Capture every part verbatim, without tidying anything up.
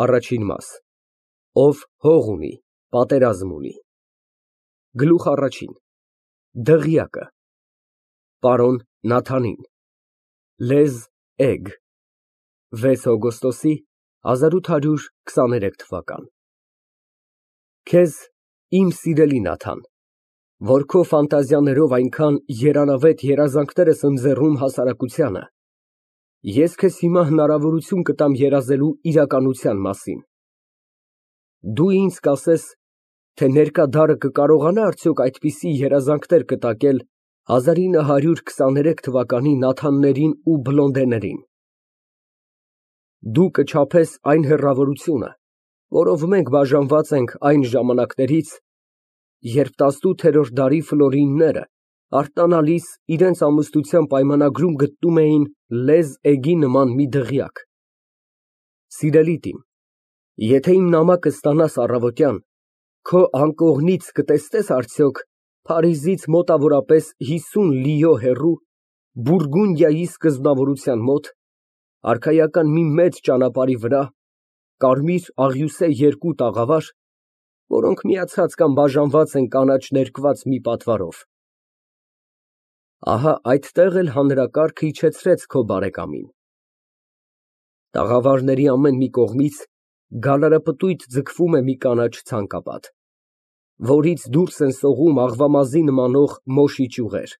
Առաջին մաս Ով հող ունի, պատերազմ ունի։ Գլուխ առաջին Դղյակը Պարոն Նաթանին Լեզ Էգ վեց օգոստոս հազար ութ հարյուր քսաներեք թվական Քեզ, իմ սիրելի Նաթան, որ քո ֆանտազիաներով այնքան երանավետ երազանքներ ես ընձեռում հասարակությանը, ես քեզ հիմա հնարավորություն կտամ երազելու իրականության մասին։ Դու ինձ կասես, թե ներկա դարը կկարողանա՞ արդյոք այդպիսի երազանքներ կտակել հազար ինը հարյուր քսաներեք թվականի Նաթաններին ու Բլոնդեներին։ Դու կչափես այն հեռավորությունը, որով մենք բաժանված ենք այն ժամանակներից, երբ տասնութերորդ դարի ֆլորինները արտանալիս իրենց ամուսնության պայմանագրում գտնում էին Լեզ Էգի նման մի դղյակ։ Սիրելի տին, եթե իմ նամակը ստանաս առավոտյան, քո անկողնից կտեսնե՞ս արդյոք Փարիզից մոտավորապես հիսուն լիո հեռու, Բուրգունդիայի սկզբնավորության մոտ, արքայական մի մեծ ճանապարհի վրա, կարմիր աղյուսե երկու տաղավար, որոնք միացած կամ բաժանված են կանաչ ներկված մի պատվարով։ Ահա այդտեղ էլ հանրակարգը իջեցրեց քո բարեկամին։ Տաղավարների ամեն մի կողմից գալարապտույտ ձգվում է մի կանաչ ցանկապատ, որից դուրս են սողում աղվամազի նմանող մոշի ճյուղեր։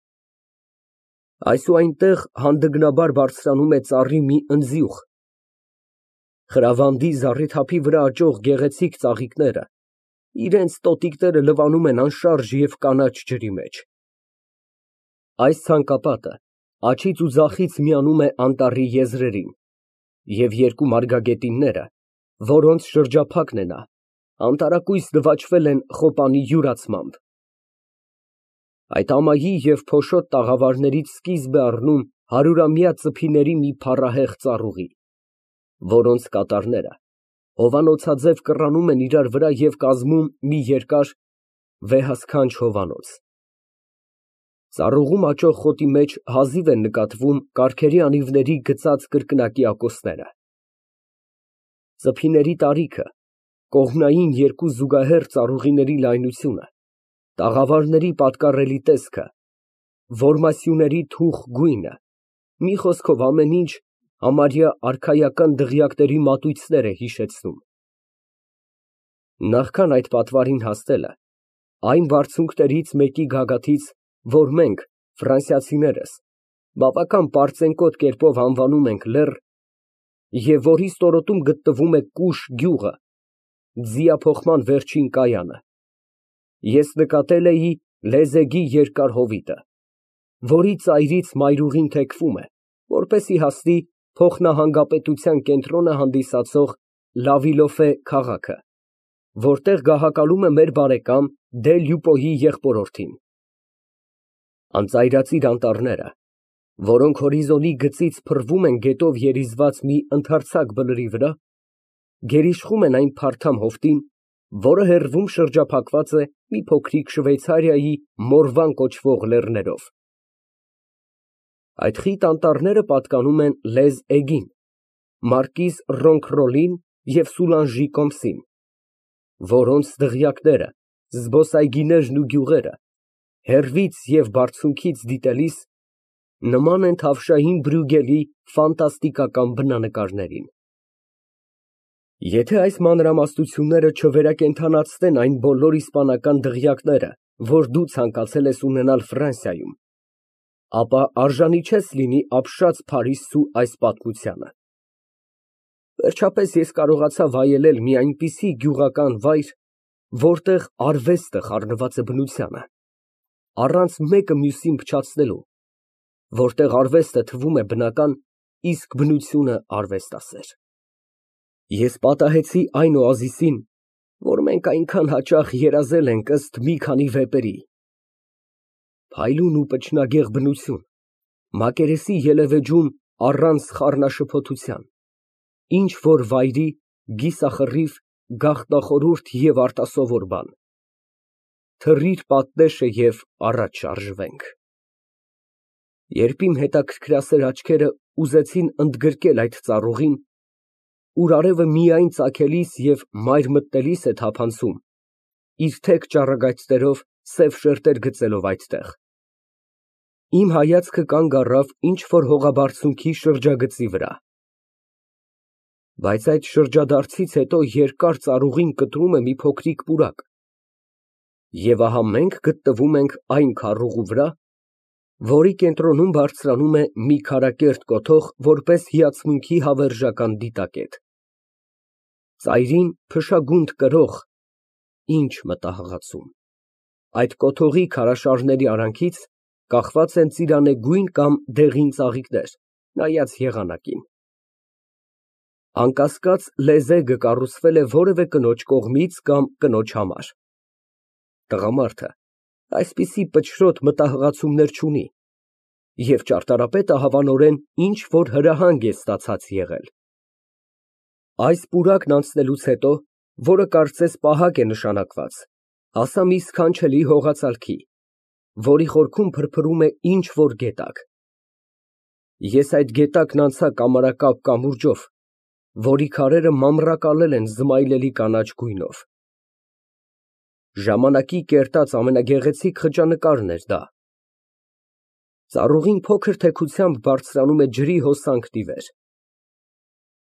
Այս ու այնտեղ հանդգնաբար բարձրանում է ծառի մի ընձյուղ։ Խրավանդի զառիթափի վրա աճող գեղեցիկ ծաղիկները իրենց տոտիկները լվանում են անշարժ և կանաչ ջրի մեջ։ Այս ցանկապատը աջից ու ձախից միանում է անտառի եզրերին, և երկու մարգագետինները, որոնց շրջափակն է նա, անտարակույս նվաճվել են խոպանի յուրացմամբ։ Այդ ամայի և փոշոտ տաղավարներից սկիզբ է առնում հարյուրամյա ծփիների մի փառահեղ ծառուղի, որոնց կատարները հովանոցաձև կռանում են իրար վրա և կազմում մի երկար, վեհասքանչ հովանոց։ Ծառուղում աճող խոտի մեջ հազիվ են նկատվում կառքերի անիվների գծած կրկնակի ակոսները։ Ծփիների տարիքը, կողմնային երկու զուգահեռ ծառուղիների լայնությունը, տաղավարների պատկառելի տեսքը, որմասյուների թուխ գույնը, մի խոսքով ամեն ինչ համարյա արքայական դղյակների մատույցներ է հիշեցնում։ Նախքան այդ պատվարին հասնելը, այն բարձունքներից մեկի գագաթից, որ մենք, ֆրանսիացիներս, բավական պարծենկոտ կերպով անվանում ենք լեռ, և որի ստորոտում գտնվում է Կուշ գյուղը, ձիափոխման վերջին կայանը, ես նկատել էի Լեզ Էգի երկար հովիտը, որի ծայրից մայրուղին թեքվում է, որպեսզի հասնի փոխնահանգապետության կենտրոնը հանդիսացող Լավիլոֆե քաղաքը, որտեղ գահակալում է մեր բարեկամ դե Լյուպոյի եղբորորդին։ Անծայրածիր անտառները, որոնք հորիզոնի գծից փռվում են գետով երիզված մի ընդարձակ բլրի վրա, գերիշխում են այն փարթամ հովտին, որը հեռվում շրջափակված է մի փոքրիկ Շվեյցարիայի Մորվան կոչվող լեռներով։ Այդ խիտ անտառները պատկանում են Լեզ Էգին, մարկիզ Ռոնքրոլին և Սուլանժի կոմսին, որոնց դղյակները, զբոսայգիներն ու գյուղերը, հեռվից և բարձունքից դիտելիս, նման են թավշային Բրյուգելի ֆանտաստիկական բնանկարներին։ Եթե այս մանրամասնությունները չվերակենդանացնեն այն բոլոր իսպանական դղյակները, որ դու ցանկացել ես ունենալ Ֆրանսիայում, ապա արժանի չես լինի ապշած Փարիզցու այս պատմությանը։ Վերջապես ես կարողացա վայելել մի այնպիսի գյուղական վայր, որտեղ արվեստը խառնված է բնությանը, առանց մեկը մյուսին փչացնելու, որտեղ արվեստը թվում է բնական, իսկ բնությունը արվեստասեր։ Ես պատահեցի այն օազիսին, որ մենք այնքան հաճախ երազել ենք ըստ մի քանի վեպերի։ Փայլուն ու պճնագեղ բնություն, մակերեսի ելևէջում առանց խառնաշփոթության, ինչ֊որ վայրի կիսախռիվ, գաղտնախորհուրդ և արտասովոր բան։ Թռիր պատնեշը և առաջ շարժվենք։ Երբ իմ հետաքրքրասեր աչքերը ուզեցին ընդգրկել այդ ծառուղին, ուր արևը միայն ծագելիս և մայր մտնելիս է թափանցում, իր թեք ճառագայթներով սև շերտեր գծելով այդտեղ։ Իմ հայացքը կանգ առավ ինչ֊որ հողաբարձունքի շրջագծի վրա։ Բայց այդ շրջադարձից հետո երկար ծառուղին կտրում է մի փոքրիկ պուրակ, և ահա մենք գտնվում ենք այն քառուղու վրա, որի կենտրոնում բարձրանում է մի քարակերտ կոթող որպես հիացմունքի հավերժական դիտակետ։ Ծայրին փշագունդ կրող ինչ մտահղացում։ Այդ կոթողի քարաշարների արանքից կախված են ծիրանեգույն կամ դեղին ծաղիկներ, նայած եղանակին։ Անկասկած, լեզեգը կառուցվել է որևէ կնոջ կողմից կամ կնոջ համար։ Տղամարդը այսպիսի պչրոտ մտահղացումներ չունի, և ճարտարապետը հավանորեն ինչ֊որ հրահանգ է ստացած եղել։ Այս պուրակն անցնելուց հետո, որը կարծես պահակ է նշանակված, հասա մի սքանչելի հողածալքի, որի խորքում փրփրում է ինչ֊որ գետակ։ Ես այդ գետակն անցա կամարակապ կամուրջով, որի քարերը մանրակալել են զմայլելի կանաչ գույնով։ Ժամանակի կերտած ամենագեղեցիկ խճանկարն էր դա։ Ծառուղին փոքր թեքությամբ բարձրանում է ջրի հոսանքն ի վեր։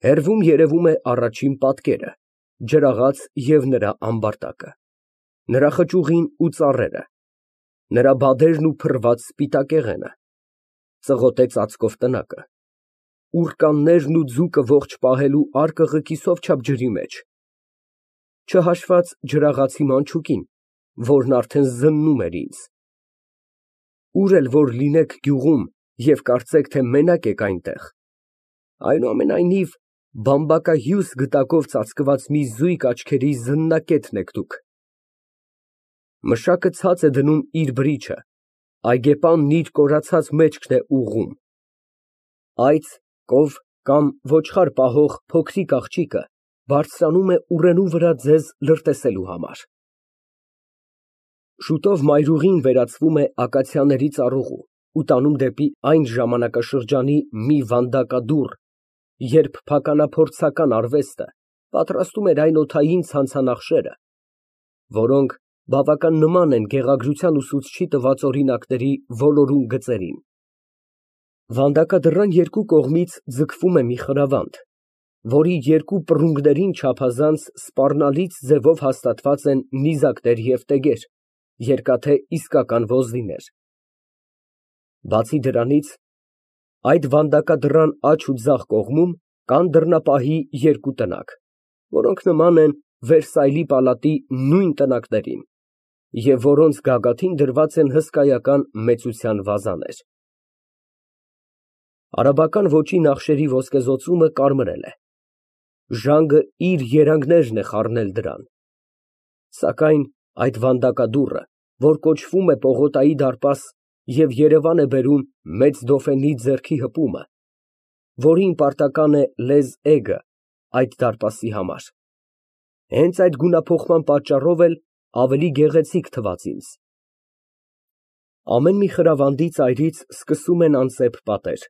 Հեռվում երևում է առաջին պատկերը, ջրաղաց և նրա ամբարտակը, նրա խճուղին ու ծառերը, նրա բադերն ու փռված սպիտակեղենը, ծղոտե ծածկով տնակը, ուռկաններն ու ձուկը ողջ պահելու արկղը կիսով չափ ջրի մեջ, չհաշված ջրաղացի մանչուկին, որն արդեն զննում էր ինձ։ Ուր էլ որ լինեք գյուղում և կարծեք, թե մենակ եք այնտեղ, այնուամենայնիվ բամբակահյուս գտակով ծածկված մի զույգ աչքերի զննակետն եք դուք։ Մշակը ցած է դնում իր բրիչը, այգեպանն իր կորացած մեջքն է ուղղում։ Այծ, կով կամ ոչխար պահող փոքրիկ աղջիկը բարձրանում է ուռենու վրա ձեզ լրտեսելու համար։ Շուտով մայրուղին վերածվում է ակացիաների ծառուղու ու տանում դեպի այն ժամանակաշրջանի մի վանդակադուռ, երբ փականափորձական արվեստը պատրաստում էր այն օդային ցանցանախշերը, որոնք բավական նման են գեղագրության ուսուցչի տված օրինակների ոլորուն գծերին։ Վանդակադռան երկու կողմից ձգվում է մի խրավանդ, որի երկու պռունգներին չափազանց սպառնալից ձևով հաստատված են նիզակներ և տեգեր, երկաթե իսկական ոզնիներ։ Բացի դրանից, այդ վանդակադռան աջ ու ձախ կողմում կան դռնապահի երկու տնակ, որոնք նման են Վերսայլի պալատի նույն տնակներին և որոնց գագաթին դրված են հսկայական մեծության վազաներ։ Արաբական ոճի նախշերի ոսկեզօծումը կարմրել է, ժանգը իր երանգներն է խառնել դրան, սակայն այդ վանդակադուռը, որ կոչվում է Պողոտայի դարպաս և երևան է բերում մեծ դոֆենի ձեռքի հպումը, որին պարտական է լեզ էգը այդ դարպասի համար, հենց այդ գունափոխման պատճառով էլ ավելի գեղեցիկ թվաց ինձ։ Ամեն մի խրավանդի ծայրից սկսում են անծեպ պատեր,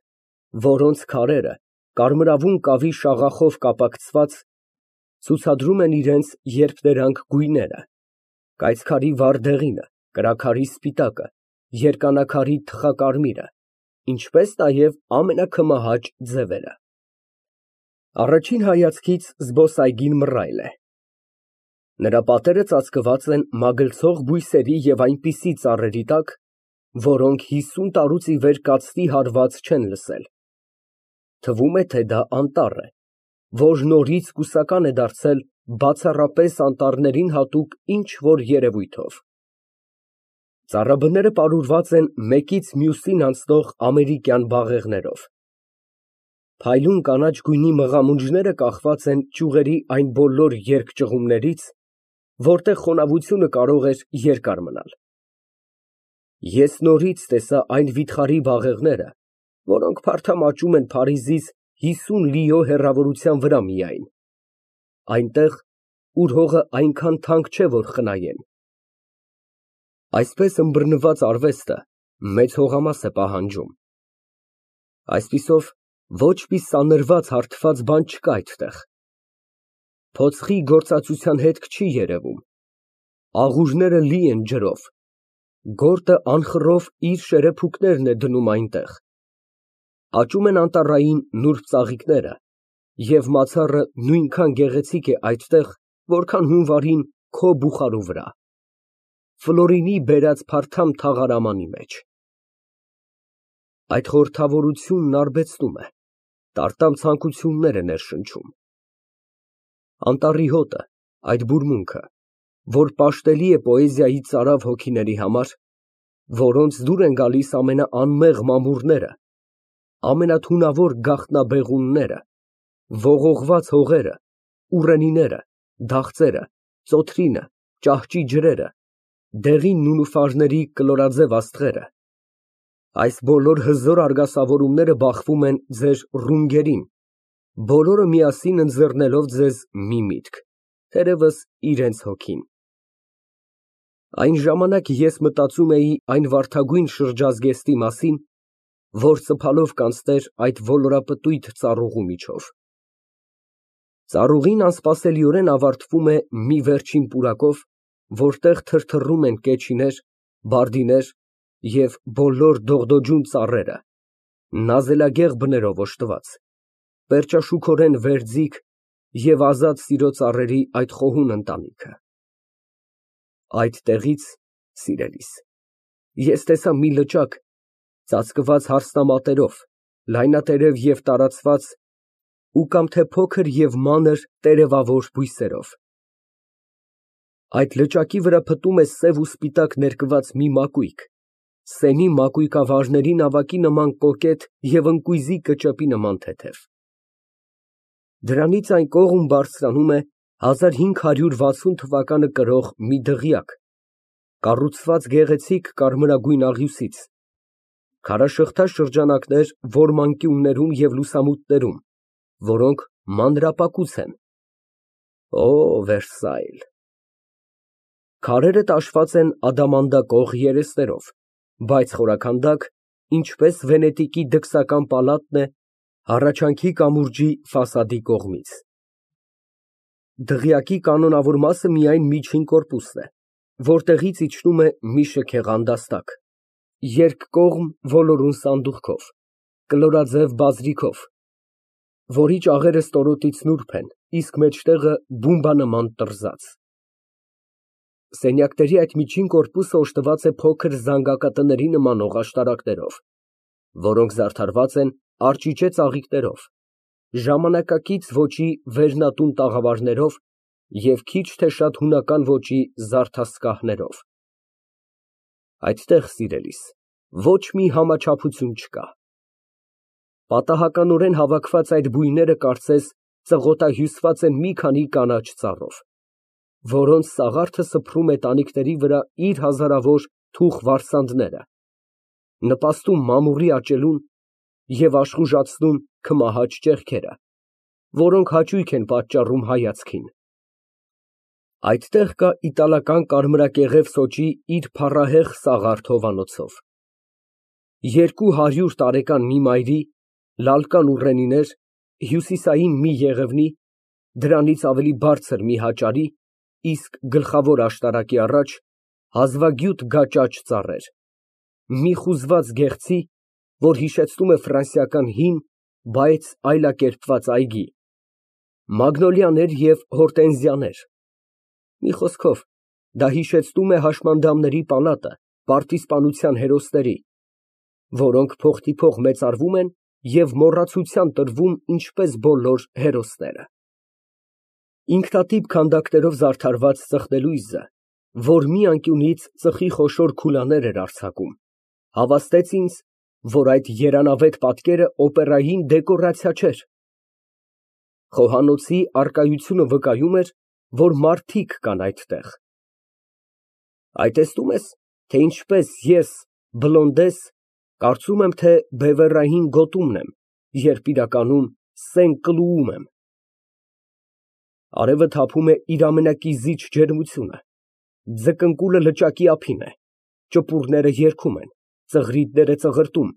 որոնց քարերը, կարմրավուն կավի շաղախով կապակցված, ցուցադրում են իրենց երփներանգ գույները, կայծքարի վառ դեղինը, կրաքարի սպիտակը, երկանաքարի թխակարմիրը, ինչպես նաև ամենաքմահաճ ձևերը։ Առաջին հայացքից զբոսայգին մռայլ է։ Նրա պատերը ծածկված են մագլցող բույսերի և այնպիսի ծառերի տակ, որոնք հիսուն տարուց ի վեր կացվի հարված չեն լսել։ Թվում է, թե դա անտառ է, որ նորից կուսական է դարձել բացառապես անտառներին հատուկ ինչ֊որ երևույթով։ Ծառաբները պարուրված են մեկից մյուսին անցնող ամերիկյան բաղեղներով։ Փայլուն կանաչ գույնի մղամունջները կախված են ճյուղերի այն բոլոր երկճյուղումներից, որտեղ խոնավությունը կարող էր երկար մնալ։ Ես նորից տեսա այն վիթխարի բաղեղները, որոնք փարթամաճում են Փարիզից հիսուն լիո հեռավորության վրա միայն, այնտեղ, ուր հողը այնքան թանկ չէ, որ խնայեն։ Այսպես ըմբռնված արվեստը մեծ հողամաս է պահանջում։ Այսպիսով, ոչ մի սանրված հարդված բան չկա այդտեղ, Փոցխի գործածության հետք չի երևում, աղուրները լի են ջրով, գորտը անխռով իր շերեփուկներն է դնում այնտեղ, աճում են անտառային նուրբ ծաղիկները և մացառը նույնքան գեղեցիկ է այդտեղ, որքան հունվարին քո բուխարու վրա, Ֆլորինի բերած փարթամ թաղարամանի մեջ։ Այդ խորհրդավորությունն արբեցնում է, տարտամ ցանկություններ է ներշնչում։ Անտառի հոտը, այդ բուրմունքը, որ պաշտելի է պոեզիայի ծարավ հոգիների համար, որոնց դուր են գալիս ամենաանմեղ մամուռները, ամենաթունավոր գաղտնաբեղունները, ողողված հողերը, ուռենիները, դաղձերը, ծոթրինը, ճահճի ջրերը, դեղին նունուֆարների կլորաձև աստղերը, այս բոլոր հզոր արգասավորումները բախվում են ձեր ռունգերին, բոլորը միասին ընձեռնելով ձեզ մի միտք, թերևս իրենց հոգին։ Այն ժամանակ ես մտածում էի այն վարդագույն շրջազգեստի մասին, որ սփալով կանցներ այդ ոլորապտույտ ծառուղու միջով։ Ծառուղին անսպասելիորեն ավարտվում է մի վերջին պուրակով, որտեղ թրթռում են կեչիներ, բարդիներ և բոլոր դողդոջուն ծառերը, նազելագեղ բներով օժտված, պերճաշուքորեն վերձիգ և ազատ սիրո ծառերի այդ խոհուն ընտանիքը։ Այդտեղից, սիրելիս, ես տեսա մի լճակ ծածկված հարսնամատերով, լայնատերև և տարածված ու կամ թե փոքր և մանր տերևավոր բույսերով։ Այդ լճակի վրա փտում է սև ու սպիտակ ներկված մի մակույկ, սենի մակույկավարների նավակի նման կոկետ և ընկույզի կճեպի նման թեթև։ Դրանից այն կողմ բարձրանում է հազար հինգ հարյուր վաթսուն թվականը կրող մի դղյակ, կառուցված գեղեցիկ կարմրագույն աղյուսից, քարաշղթա շրջանակներ որմանկյուններում և լուսամուտներում, որոնք մանրապակուց են։ Օ, Վերսայլ։ Քարերը տաշված են ադամանդակող երեսներով, բայց խորաքանդակ, ինչպես Վենետիկի դքսական պալատն է հառաչանքի կամուրջի ֆասադի կողմից։ Դղյակի կանոնավոր մասը միայն միջին կորպուսն է, որտեղից իջնում է մի շքեղ անդաստակ, երկկողմ ոլորուն սանդուղքով, կլորաձև բազրիքով, որի ճաղերը ստորոտից նուրբ են, իսկ մեջտեղը բումբանման տռզած։ Սենյակների այդ միջին կորպուսը օժտված է փոքր զանգակատների նմանող աշտարակներով, որոնք զարդարված են արճիճե ծաղիկներով, ժամանակակից ոճի վերնատուն տաղավարներով և քիչ թե շատ հունական ոճի զարդասկահներով։ Այդտեղ, սիրելիս, ոչ մի համաչափություն չկա։ Պատահականորեն հավաքված այդ բույները կարծես ծղոտահյուսված են մի քանի կանաչ ծառով, որոնց սաղարթը սփռում է տանիքների վրա իր հազարավոր թուխ վարսանդները, նպաստում մամուռի աճելուն և աշխուժացնում քմահաճ ճեղքերը, որոնք հաճույք են պատճառում հայացքին։ Այդտեղ կա իտալական կարմրակեղև սոճի իր փառահեղ սաղարթ հովանոցով, երկու հարյուր տարեկան մի մայրի, լալկան ուռենիներ, հյուսիսային մի եղևնի, դրանից ավելի բարձր մի հաճարի, իսկ գլխավոր աշտարակի առաջ հազվագյուտ գաճաճ ծառեր, մի խուզված գեղձի, որ հիշեցնում է ֆրանսիական հին, բայց այլակերպված այգի, մագնոլիաներ և հորտենզիաներ, մի խոսքով, դա հիշեցնում է հաշմանդամների պալատը պարտիզպանության հերոսների, որոնք փոխտիփող մեծարվում են և մոռացության տրվում ինչպես բոլոր հերոսները։ Ինքնատիպ քանդակներով զարդարված ծխնելույզը, որ մի անկյունից ծխի խոշոր քուլաներ էր արձակում, հավաստեց ինձ, որ այդ երանավետ պատկերը օպերային դեկորացիա չէր։ Խոհանոցի առկայությունը վկայում էր, որ մարդիկ կան այդտեղ։ Այ տեսնո՞ւմ ես, թե ինչպես ես, Բլոնդես, կարծում եմ, թե բևեռային գոտումն եմ, երբ իրականում Սեն֊Կլուում եմ։ Արևը թափում է իր ամենակիզիչ ջերմությունը, ձկնկուլը լճակի ափին է, ճպուռները երգում են, ծղրիդները ծղրտում,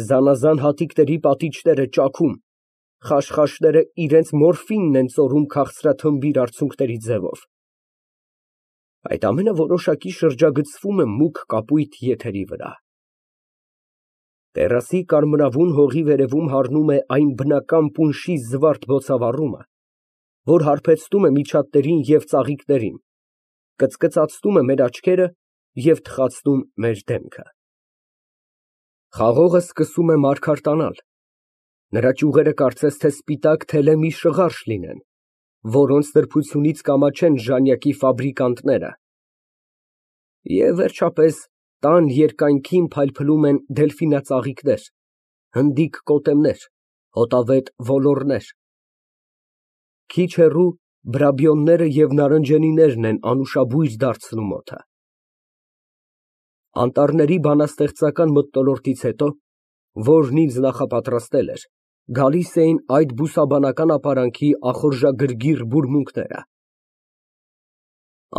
զանազան հատիկների պատիճները ճաքում, Խաշխաշները իրենց մորֆինն են ծորում քաղցրաթմբիր արցունքների ձևով։ Այդ ամենը որոշակի շրջագծվում է մուգ կապույտ եթերի վրա։ Տերասի կարմրավուն հողի վերևում հառնում է այն բնական պունշի զվարթ բոցավառումը, որ հարբեցնում է միջատներին և ծաղիկներին, կծկծացնում է մեր աչքերը և թխացնում մեր դեմքը։ Խաղողը սկսում է մարգարտանալ, նրա ճյուղերը կարծես թե սպիտակ թելեմի շղարշ լինեն, որոնց նրբությունից կամաչեն ժանյակի ֆաբրիկանտները, և վերջապես տան երկայնքին փայլփլում են դելֆինածաղիկներ, հնդիկ կոտեմներ, հոտավետ ոլոռներ, քիչ հեռու բրաբիոնները և նարնջենիներն են անուշաբույր դարձնում օդը։ Անտառների բանաստեղծական մթնոլորտից հետո, որն ինձ նախապատրաստել էր, գալիս էին այդ բուսաբանական ապարանքի ախորժագրգիռ բուրմունքները։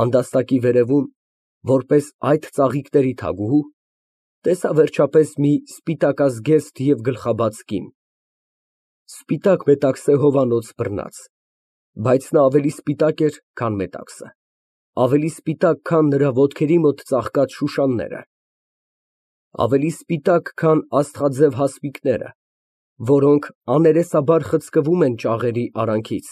Անդաստակի վերևում, որպես այդ ծաղիկների թագուհու, տեսա վերջապես մի սպիտակազգեստ և գլխաբաց կին, սպիտակ մետաքսե հովանոց բռնած, բայց նա ավելի սպիտակ էր, քան մետաքսը, ավելի սպիտակ, քան նրա ոտքերի մոտ ծաղկած շուշանները, ավելի սպիտակ, քան աստղաձև հասմիկները, որոնք աներեսաբար խցկվում են ճաղերի արանքից։